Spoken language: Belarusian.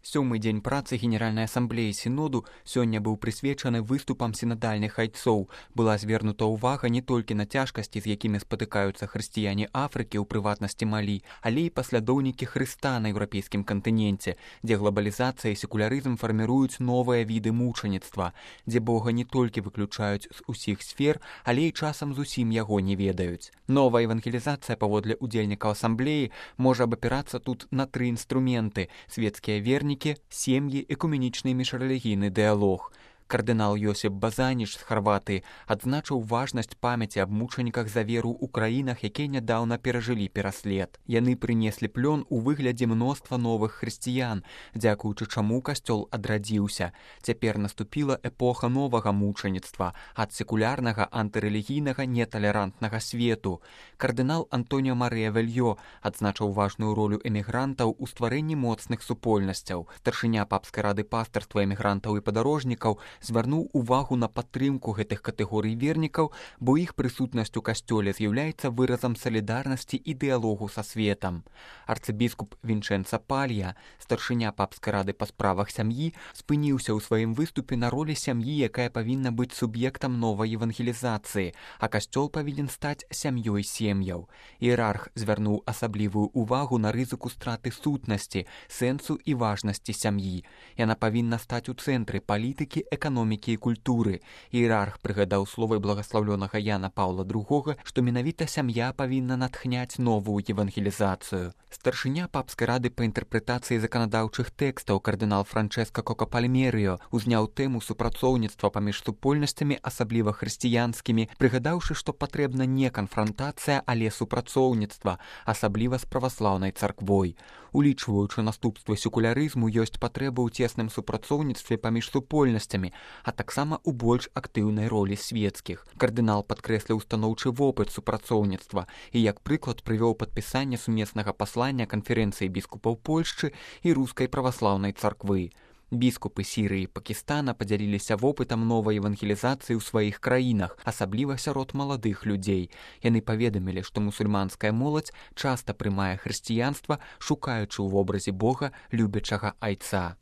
Сёмы дзень працы Генеральнай асамблеі сіноду сёння быў прысвечаны выступам сінадальных айцоў. Была звернута ўвага не толькі на цяжкасці, з якімі спатыкаюцца хрысціяне Афрыкі, у прыватнасці Малі, але і паслядоўнікі Хрыста на еўрапейскім кантыненце, дзе глобалізацыя і секулярызм фарміруюць новыя віды мучаніцтва, дзе Бога не толькі выключаюць з усіх сфер, але і часам зусім яго не ведаюць. Новая евангелізацыя, паводле удзельнікаў асамблеі, можа абапірацца тут на тры інструменты: свецкія вернікі, сем'і, экуменічны і міжрэлігійны дыялог. Кардынал Йосіп Базаніч з Харватыі адзначыў важнасць памяці аб мучаніках за веру ў краінах, якія нядаўна перажылі пераслед. Яны прынеслі плён у выглядзе мноства новых хрысціян, дзякуючы чаму касцёл адрадзіўся. Цяпер наступіла эпоха новага мучаніцтва ад секулярнага, антырэлігійнага, неталерантнага свету. Кардынал Антоніо Марыя Вельё адзначыў важную ролю эмігрантаў у стварэнні моцных супольнасцяў. Старшыня папскай рады пастарства эмігрантаў і падарожнікаў звярнуў увагу на падтрымку гэтых катэгорый вернікаў, бо іх прысутнасць у касцёле з'яўляецца выразам салідарнасці і дыялогу са светам. Арцыбіскуп Вінчэнца Палья, старшыня папскай рады па справах сям'і, спыніўся ў сваім выступе на ролі сям'і, якая павінна быць суб'ектам новай евангелізацыі, а касцёл павінен стаць сям'ёй сем'яў. Іерарх звярнуў асаблівую увагу на рызыку страты сутнасці, сэнсу і важнасці сям'і. Яна павінна стаць у цэнтры палітыкі, эканомікі і культуры. Іерарх прыгадаў словы благаслаўлёнага Яна Паўла II, што менавіта сям'я павінна натхняць новую евангелізацыю. Старшыня папскай рады па інтэрпрэтацыі заканадаўчых тэкстаў кардынал Франчэска Кока Пальмерыё узняў тэму супрацоўніцтва паміж супольнасцямі, асабліва хрысціянскімі, прыгадаўшы, што патрэбна не канфрантацыя, але супрацоўніцтва, асабліва з праваслаўнай царквой. Улічваючы наступствы секулярызму, ёсць патрэба ў цесным супрацоўніцтве паміж супольнасцямі, а таксама ў больш актыўнай ролі свецкіх. Кардынал падкрэсліў станоўчы вопыт супрацоўніцтва і як прыклад прывёў падпісанне сумеснага паслання канферэнцыі біскупаў Польшчы і рускай праваслаўнай царквы. Біскупы Сірыі і Пакістана падзяліліся вопытам новай евангелізацыі ў сваіх краінах, асабліва сярод маладых людзей. Яны паведамілі, што мусульманская моладзь часта прымае хрысціянства, шукаючы ў вобразе Бога любячага айца.